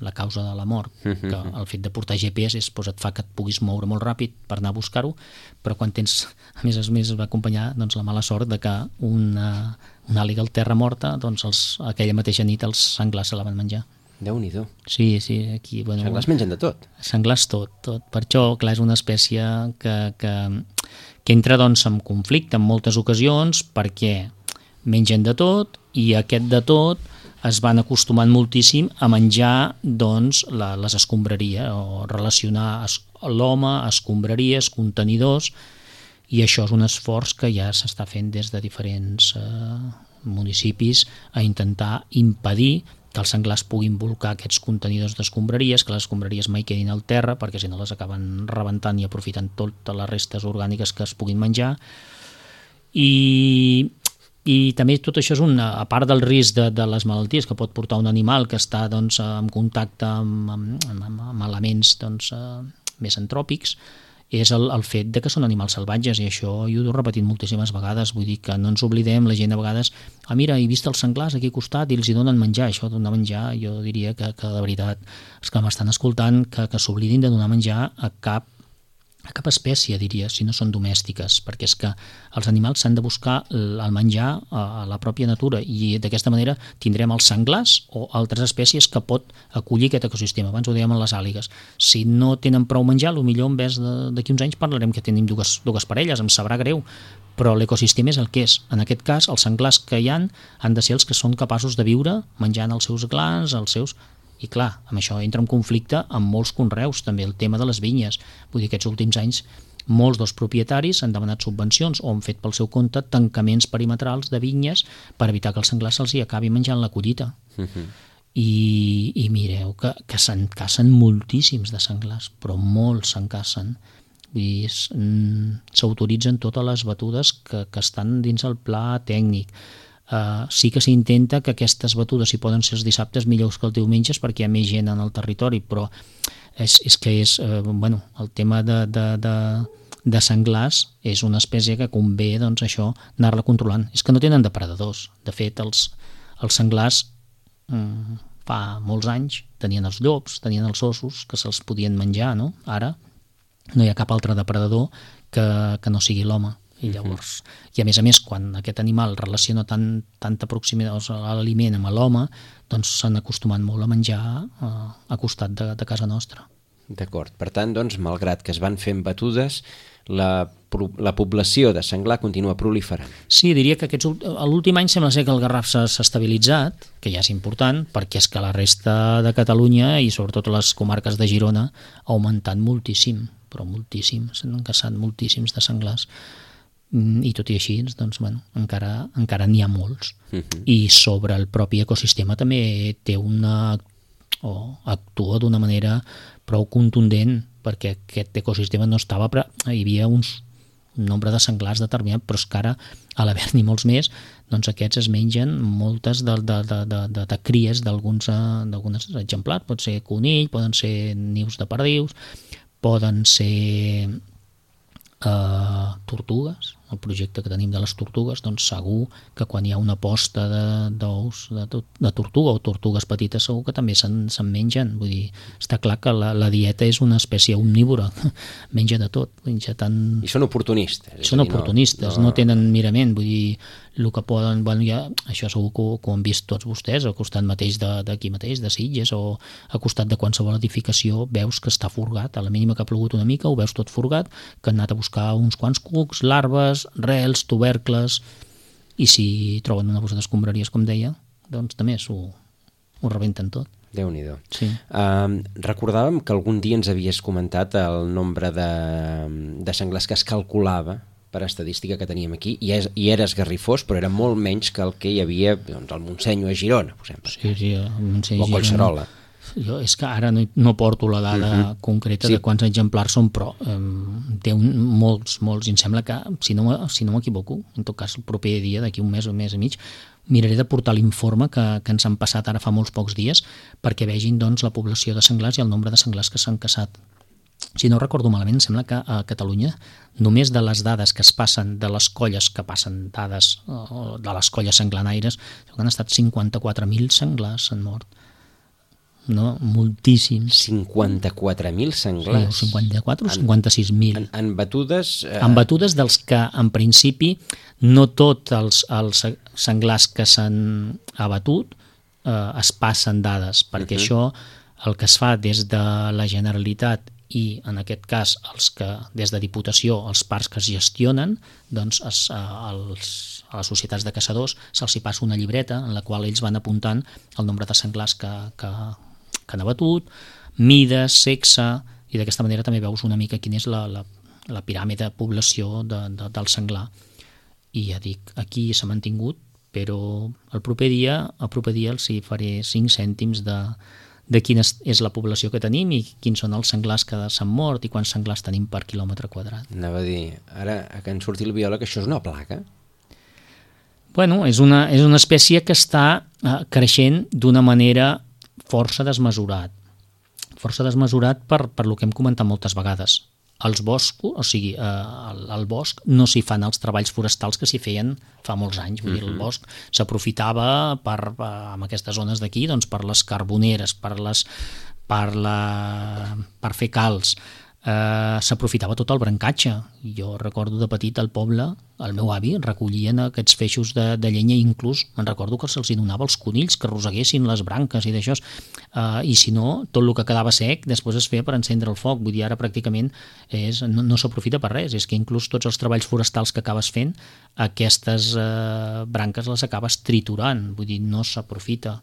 Speaker 3: la causa de la mort, que el fet de portar G P S és, doncs, et fa que et puguis moure molt ràpid per anar a buscar-ho, però quan tens, a més a més va acompanyar doncs, la mala sort de que una, una àliga al terra morta, doncs els, aquella mateixa nit els senglars se la van menjar.
Speaker 2: Déu-n'hi-do.
Speaker 3: Sí, sí, aquí... Bueno,
Speaker 2: senglars mengen de tot.
Speaker 3: Senglars tot, tot. Per això, clar, és una espècie que, que, que entra doncs, en conflicte en moltes ocasions perquè mengen de tot i aquest de tot es van acostumant moltíssim a menjar doncs, la, les escombraries o relacionar es, l'home, escombraries, contenidors, i això és un esforç que ja s'està fent des de diferents eh, municipis a intentar impedir que els senglars puguin bolcar aquests contenidors d'escombraries, que les escombraries mai quedin al terra, perquè si no les acaben rebentant i aprofitant totes les restes orgàniques que es puguin menjar. I, i també tot això és una, a part del risc de, de les malalties que pot portar un animal que està doncs, en contacte amb, amb, amb, amb elements doncs, eh, més antròpics, és el, el fet de que són animals salvatges, i això jo ho he repetit moltíssimes vegades, vull dir que no ens oblidem, la gent a vegades, ah mira, he vist els senglars aquí al costat i els hi donen menjar, això de donar menjar, jo diria que, que de veritat, els que m'estan escoltant, que, que s'oblidin de donar menjar a cap a cap espècie, diria, si no són domèstiques, perquè és que els animals s'han de buscar el menjar a la pròpia natura, i d'aquesta manera tindrem els senglars o altres espècies que pot acollir aquest ecosistema. Abans ho dèiem amb les àligues. Si no tenen prou menjar, potser en vez d'aquí uns anys parlarem que tenim dues, dues parelles, em sabrà greu, però l'ecosistema és el que és. En aquest cas, els senglars que hi han han de ser els que són capaços de viure menjant els seus glans, els seus... I clar, amb això entra en conflicte amb molts conreus, també el tema de les vinyes. Vull dir que aquests últims anys molts dels propietaris han demanat subvencions o han fet pel seu compte tancaments perimetrals de vinyes per evitar que els senglars se'ls hi acabi menjant la collita. Uh-huh. I, i mireu que, que se'n cacen moltíssims de senglars, però molts se'n cacen. Vull dir, mm, s'autoritzen totes les batudes que, que estan dins el pla tècnic. Uh, sí que s'intenta que aquestes batudes, si poden ser els dissabtes, millors que els diumenges perquè hi ha més gent en el territori, però és, és que és, uh, bueno, el tema de, de, de, de senglars és una espècie que convé, doncs, això, anar-la controlant. És que no tenen depredadors. De fet, els, els senglars um, fa molts anys tenien els llops, tenien els ossos, que se'ls podien menjar, no? Ara no hi ha cap altre depredador que, que no sigui l'home. I llavors, i a més a més, quan aquest animal relaciona tant, tanta proximitat a l'aliment amb l'home, doncs s'han acostumat molt a menjar a, a costat de, de casa nostra.
Speaker 2: D'acord. Per tant, doncs, malgrat que es van fent batudes, la, la població de senglar continua proliferant.
Speaker 3: Sí, diria que aquests, l'últim any sembla ser que el Garraf s'ha estabilitzat, que ja és important, perquè és que la resta de Catalunya i sobretot les comarques de Girona ha augmentat moltíssim, però moltíssim, s'han caçat moltíssims de senglars. I tot i així, doncs, bueno, encara, encara n'hi ha molts. Uh-huh. I sobre el propi ecosistema també té una... o actua d'una manera prou contundent, perquè aquest ecosistema no estava... Però hi havia uns, un nombre de senglars determinat, però és que ara, a l'haver-n'hi molts més, doncs aquests es mengen moltes de, de, de, de, de, de cries d'alguns exemplars. Pot ser conill, poden ser nius de perdius, poden ser eh, tortugues. El projecte que tenim de les tortugues, doncs segur que quan hi ha una posta d'ous de, de, de tortuga o tortugues petites segur que també se'n se mengen. Vull dir, està clar que la, la dieta és una espècie omnívora, menja de tot. Menja tant...
Speaker 2: I són oportunistes.
Speaker 3: Són oportunistes, no, no... no tenen mirament, vull dir, el que poden, bueno, ja, això segur que, que ho han vist tots vostès, al costat mateix d'aquí mateix, de Sitges, o al costat de qualsevol edificació, veus que està forgat, a la mínima que ha plogut una mica, ho veus tot forgat, que han anat a buscar uns quants cucs, larves, rels, tubercles, i si troben una bossa d'escombraries, com deia, doncs també ho, ho rebenten tot.
Speaker 2: Déu-n'hi-do.
Speaker 3: Sí.
Speaker 2: Uh, recordàvem que algun dia ens havies comentat el nombre de, de senglars que es calculava per estadística que teníem aquí, i, és, i era esgarrifós, però era molt menys que el que hi havia doncs, al Montseny o a Girona, per exemple.
Speaker 3: Sí, sí, al Montseny
Speaker 2: o a Collserola.
Speaker 3: Jo és que ara no, no porto la dada uh-huh. concreta sí. de quants exemplars són, però um, té un, molts, molts, i em sembla que, si no, si no m'equivoco, en tot cas el proper dia, d'aquí un mes o un mes i mig, miraré de portar l'informe que, que ens han passat ara fa molts pocs dies, perquè vegin doncs, la població de senglars i el nombre de senglars que s'han caçat. si no recordo malament, sembla que a Catalunya només de les dades que es passen de les colles que passen dades de les colles senglanaires, han estat cinquanta-quatre mil senglars s'han mort. No? Moltíssims.
Speaker 2: cinquanta-quatre mil senglars?
Speaker 3: Sí, cinquanta-quatre o cinquanta-sis mil.
Speaker 2: En, en batudes... Eh...
Speaker 3: En batudes dels que, en principi, no tots els, els senglars que s'han abatut eh, es passen dades, perquè uh-huh. això el que es fa des de la Generalitat i, en aquest cas, els que des de Diputació, els parcs que es gestionen, doncs es, els, a les societats de caçadors se'ls hi passa una llibreta en la qual ells van apuntant el nombre de senglars que, que, que han abatut, mides, sexe, i d'aquesta manera també veus una mica quina és la, la, la piràmide de població de, de, del senglar. I ja dic, aquí s'ha mantingut, però el proper dia, el proper dia els hi faré cinc cèntims de, de quina és la població que tenim i quins són els senglars que s'han mort i quants senglars tenim per quilòmetre quadrat.
Speaker 2: Anava a dir, ara que en surti el biòleg, això és una plaga?
Speaker 3: Bueno, és una, és una espècie que està eh, creixent d'una manera força desmesurat. Força desmesurat per, per lo que hem comentat moltes vegades. Els boscos, o sigui, eh, al, al bosc no s'hi fan els treballs forestals que s'hi feien fa molts anys. Vull dir, el bosc s'aprofitava per, per, amb aquestes zones d'aquí, doncs, per les carboneres, per, les, per, la, per fer calç. Eh, s'aprofitava tot el brancatge. Jo recordo de petit al poble, el meu avi recollien aquests feixos de, de llenya, i inclús me'n recordo que se'ls donava als conills que roseguessin les branques i d'això, eh, i si no, tot el que quedava sec després es feia per encendre el foc. Vull dir, ara pràcticament és, no, no s'aprofita per res, és que inclús tots els treballs forestals que acabes fent, aquestes eh, branques les acabes triturant, vull dir, no s'aprofita.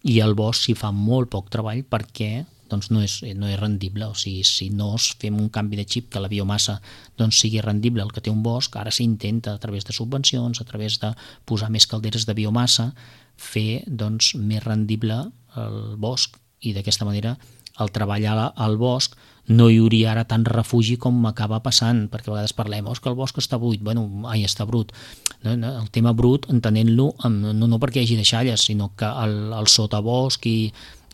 Speaker 3: I al bosc s'hi fa molt poc treball perquè doncs no és, no és rendible. O sigui, si no fem un canvi de xip que la biomassa doncs sigui rendible el que té un bosc, ara s'intenta a través de subvencions, a través de posar més calderes de biomassa, fer doncs més rendible el bosc, i d'aquesta manera el treball al bosc no hi hauria ara tant refugi com acaba passant, perquè a vegades parlem, oh, que el bosc està buit, bueno, ai, està brut. El tema brut, entenent-lo, no, no perquè hi hagi deixalles, sinó que el, el sotabosc i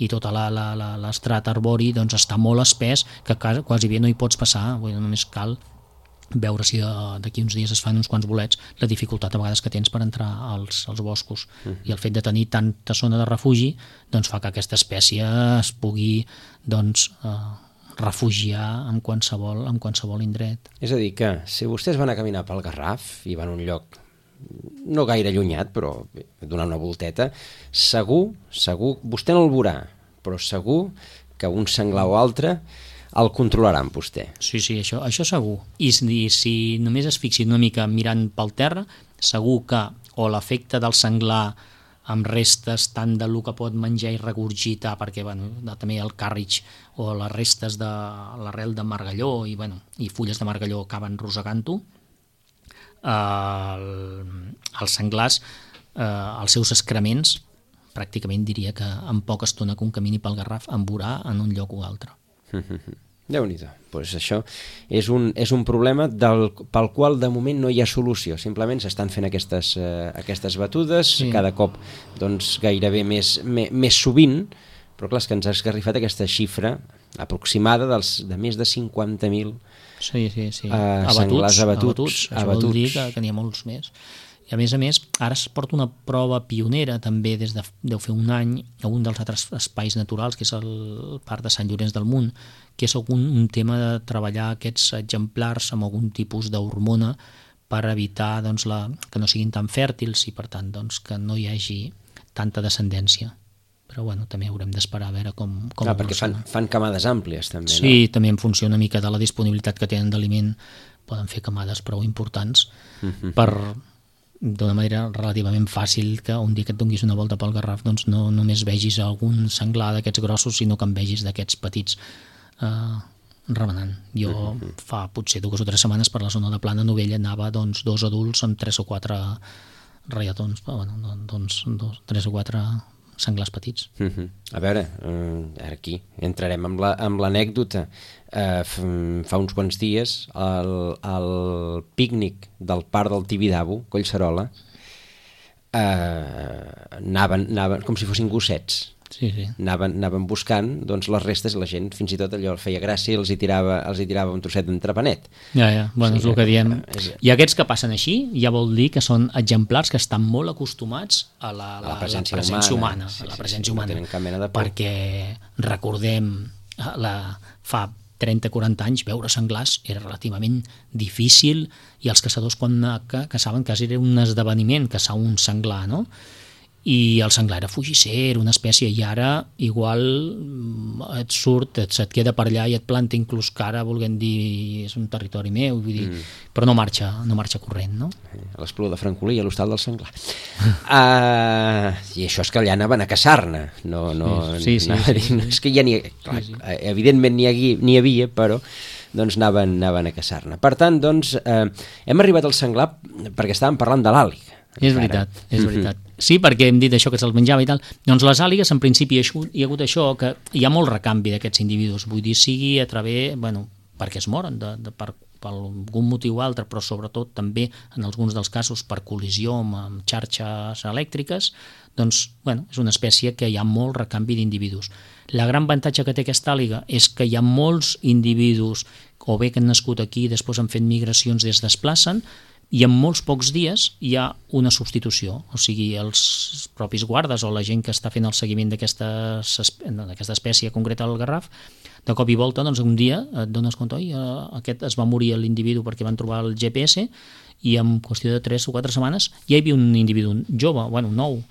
Speaker 3: i tota l'estrat arbori doncs, està molt espès, que quasi bé no hi pots passar. Vull dir, només cal veure si d'aquí uns dies es fan uns quants bolets, la dificultat a vegades que tens per entrar als, als boscos. Mm. I el fet de tenir tanta zona de refugi doncs, fa que aquesta espècie es pugui doncs, eh, refugiar en qualsevol, en qualsevol indret.
Speaker 2: És a dir, que si vostès van a caminar pel Garraf i van a un lloc no gaire allunyat, però donar una volteta, segur, segur, vostè no el veurà, però segur que un senglar o altre el controlaran vostè.
Speaker 3: Sí, sí, això, això segur. I si, si només es fixin una mica mirant pel terra, segur que o l'efecte del senglar amb restes tant de lo que pot menjar i regurgitar, perquè bueno, també el càrrig o les restes de l'arrel de margalló i, bueno, i fulles de margalló acaben rosegant-ho, El, els senglars, eh, els seus excrements, pràcticament diria que en poca estona que un camini pel Garraf en veurà en un lloc o altre.
Speaker 2: Déu-n'hi-do. Pues això és un, és un problema del, pel qual de moment no hi ha solució. Simplement s'estan fent aquestes, eh, aquestes batudes, sí. Cada cop doncs, gairebé més, més, més sovint, però clar, és que ens ha esgarrifat aquesta xifra aproximada dels, de més de cinquanta mil
Speaker 3: sí, sí, sí.
Speaker 2: Uh, senglars abatuts. abatuts.
Speaker 3: Això abatuts. Vol dir que, que n'hi ha molts més. I a més a més, ara es porta una prova pionera també des de deu fer un any a un dels altres espais naturals, que és el Parc de Sant Llorenç del Munt, que és un, un tema de treballar aquests exemplars amb algun tipus d'hormona per evitar doncs, la, que no siguin tan fèrtils i per tant doncs, que no hi hagi tanta descendència. Però bueno, també haurem d'esperar a veure com, com
Speaker 2: ah, perquè fan, fan camades àmplies també, no?
Speaker 3: Sí, també en funció una mica de la disponibilitat que tenen d'aliment, poden fer camades prou importants uh-huh. per, d'una manera relativament fàcil, que un dia que et donis una volta pel Garraf doncs no només vegis algun senglar d'aquests grossos, sinó que en vegis d'aquests petits eh, remenant. Jo uh-huh. fa potser dues o tres setmanes per la zona de Plana Novella anava doncs, dos adults amb tres o quatre reiatons, bueno, doncs, dos, tres o quatre senglars petits.
Speaker 2: Uh-huh. A veure, uh, aquí entrarem amb, la, amb l'anècdota. Uh, fa uns quants dies el, el pícnic del parc del Tibidabo, Collserola, uh, anaven, anaven com si fossin gossets
Speaker 3: Sí, sí.
Speaker 2: Anaven, anaven buscant doncs, les restes, la gent fins i tot allò feia gràcia i els hi tirava, els hi tirava un trosset d'entrepanet.
Speaker 3: Ja, ja, bueno,
Speaker 2: Sí,
Speaker 3: és el que diem.
Speaker 2: és-
Speaker 3: I aquests que passen així ja vol dir que són exemplars que estan molt acostumats a la,
Speaker 2: A la
Speaker 3: la,
Speaker 2: presència
Speaker 3: la presència
Speaker 2: humana.
Speaker 3: humana,
Speaker 2: Sí,
Speaker 3: a la
Speaker 2: sí,
Speaker 3: presència
Speaker 2: sí, no
Speaker 3: humana.
Speaker 2: tenen cap mena de por.
Speaker 3: Perquè recordem la, fa trenta o quaranta anys veure senglars era relativament difícil i els caçadors quan ca- caçaven quasi era un esdeveniment caçar un senglar, no? I el senglar era fugisser, una espècie, i ara igual mm, et surt, et, se't queda per allà i et planta inclús cara volent dir és un territori meu, vull dir, mm. però no marxa, no marxa corrent, no?
Speaker 2: A l'Espluga de Francolí, a l'Hostal del Senglar. Uh, I això és que allà anaven a caçar-ne. No, no,
Speaker 3: Sí, sí,
Speaker 2: no,
Speaker 3: sí, sí,
Speaker 2: no, és que ja n'hi clar, sí, sí. Evidentment n'hi havia, n'hi havia, però doncs anaven, anaven a caçar-ne. Per tant, doncs, eh, hem arribat al senglar perquè estàvem parlant de l'àliga.
Speaker 3: És veritat, és veritat. Sí, perquè hem dit això que se'ls menjava i tal. Doncs les àligues, en principi, hi ha hagut això, que hi ha molt recanvi d'aquests individus. Vull dir, sigui a través, bueno, perquè es moren de, de, per, per algun motiu o altre, però sobretot també, en alguns dels casos, per col·lisió amb, amb xarxes elèctriques, doncs, bueno, és una espècie que hi ha molt recanvi d'individus. La gran avantatge que té aquesta àliga és que hi ha molts individus, o bé que han nascut aquí i després han fet migracions i es desplacen, i en molts pocs dies hi ha una substitució, o sigui, els propis guardes o la gent que està fent el seguiment d'aquesta espècie concreta del garraf, de cop i volta, doncs un dia et dones compte, oi, aquest es va morir l'individu perquè van trobar el G P S i en qüestió de tres o quatre setmanes ja hi havia un individu jove, bueno, nou.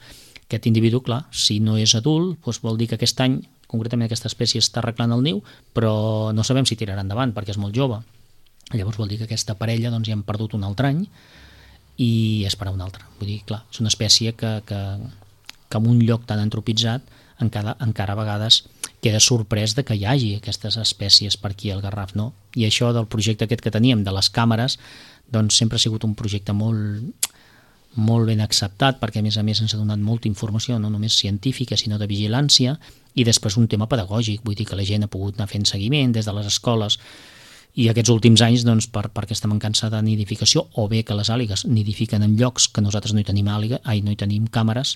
Speaker 3: Aquest individu, clar, si no és adult, doncs vol dir que aquest any, concretament aquesta espècie està arreglant el niu, però no sabem si tirarà endavant perquè és molt jove. Llavors vol dir que aquesta parella doncs, ja hem perdut un altre any i esperar un altre. Vull dir, clar, és una espècie que, que, que en un lloc tan antropitzat encara, encara a vegades queda sorprès de que hi hagi aquestes espècies per aquí al Garraf, no? I això del projecte aquest que teníem de les càmeres doncs sempre ha sigut un projecte molt, molt ben acceptat perquè a més a més ens ha donat molta informació, no només científica sinó de vigilància i després un tema pedagògic, vull dir que la gent ha pogut anar fent seguiment des de les escoles. I aquests últims anys, doncs, per, per aquesta mancança de nidificació, o bé que les àligues nidifiquen en llocs que nosaltres no hi tenim àliga, ai, no hi tenim càmeres,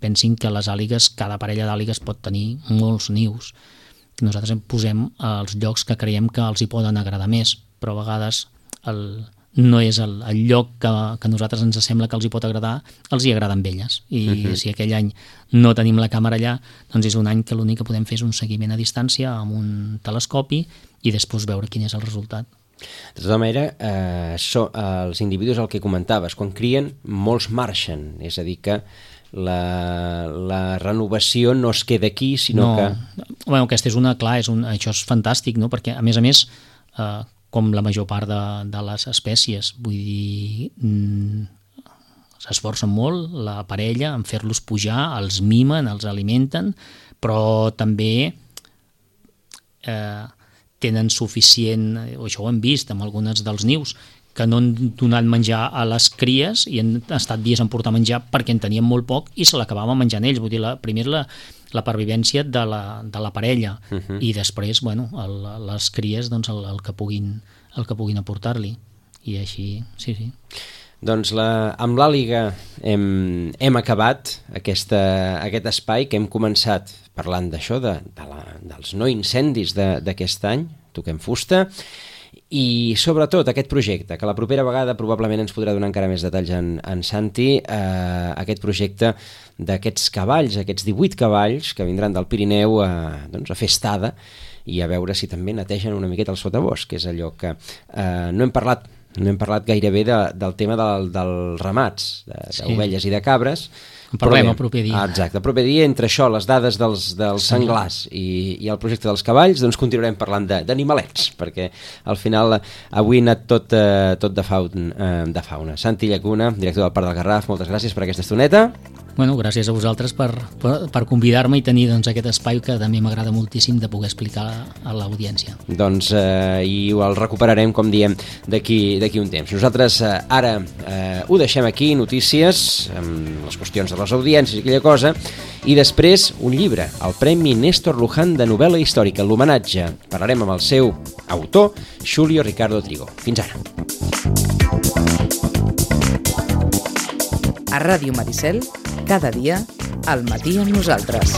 Speaker 3: pensin que les àligues, cada parella d'àligues pot tenir molts nius. Nosaltres posem els llocs que creiem que els hi poden agradar més, però a vegades el, no és el, el lloc que, que a nosaltres ens sembla que els hi pot agradar, els hi agrada amb elles. I uh-huh. si aquell any no tenim la càmera allà, doncs és un any que l'únic que podem fer és un seguiment a distància amb un telescopi i després veure quin és el resultat.
Speaker 2: De tota manera, eh, so, eh, els individus, el que comentaves, quan crien, molts marxen, és a dir que la, la renovació no es queda aquí, sinó
Speaker 3: no.
Speaker 2: que...
Speaker 3: Bueno, aquesta és una, clar, és un, això és fantàstic, no? Perquè a més a més, eh, com la major part de, de les espècies, vull dir, mm, s'esforcen molt la parella en fer-los pujar, els mimen, els alimenten, però també eh, tenen suficient, o això ho hem vist amb algunes dels nius, que no han donat menjar a les cries i han estat dies en portar menjar perquè en tenien molt poc i se l'acabaven menjant ells. Vull dir, la, primer la, la pervivència de la, de la parella uh-huh. i després, bueno, el, les cries, doncs, el, el que puguin, el que puguin aportar-li. I així, sí, sí.
Speaker 2: Doncs la, amb l'àliga hem, hem acabat aquesta, aquest espai que hem començat parlant d'això, de, de la, dels no incendis d'aquest any, toquem fusta, i sobretot aquest projecte, que la propera vegada probablement ens podrà donar encara més detalls en, en Santi, eh, aquest projecte d'aquests cavalls, aquests divuit cavalls que vindran del Pirineu a, doncs, a fer estada i a veure si també netegen una miqueta el sotabosc, que és allò que eh, no hem parlat no hem parlat gairebé de, del tema del, dels ramats, d'ovelles sí. i de cabres.
Speaker 3: En parlem el proper dia.
Speaker 2: Ah, exacte, el proper dia, entre això, les dades dels, dels senglars i, i el projecte dels cavalls, doncs continuarem parlant d'animalets, perquè al final avui ha anat tot, eh, tot de, faun, eh, de fauna. Santi Llacuna, director del Parc del Garraf, moltes gràcies per aquesta estoneta.
Speaker 3: Bueno, gràcies a vosaltres per, per, per convidar-me i tenir doncs, aquest espai que també m'agrada moltíssim de poder explicar a, a l'audiència.
Speaker 2: Doncs eh, i el recuperarem, com diem, d'aquí d'aquí un temps. Nosaltres eh, ara eh, ho deixem aquí, notícies, amb les qüestions de les audiències i aquella cosa, i després un llibre, el Premi Néstor Luján de novel·la històrica, l'homenatge. Parlarem amb el seu autor, Xulio Ricardo Trigo. Fins ara.
Speaker 1: A Ràdio Maricel, cada dia, al matí amb nosaltres.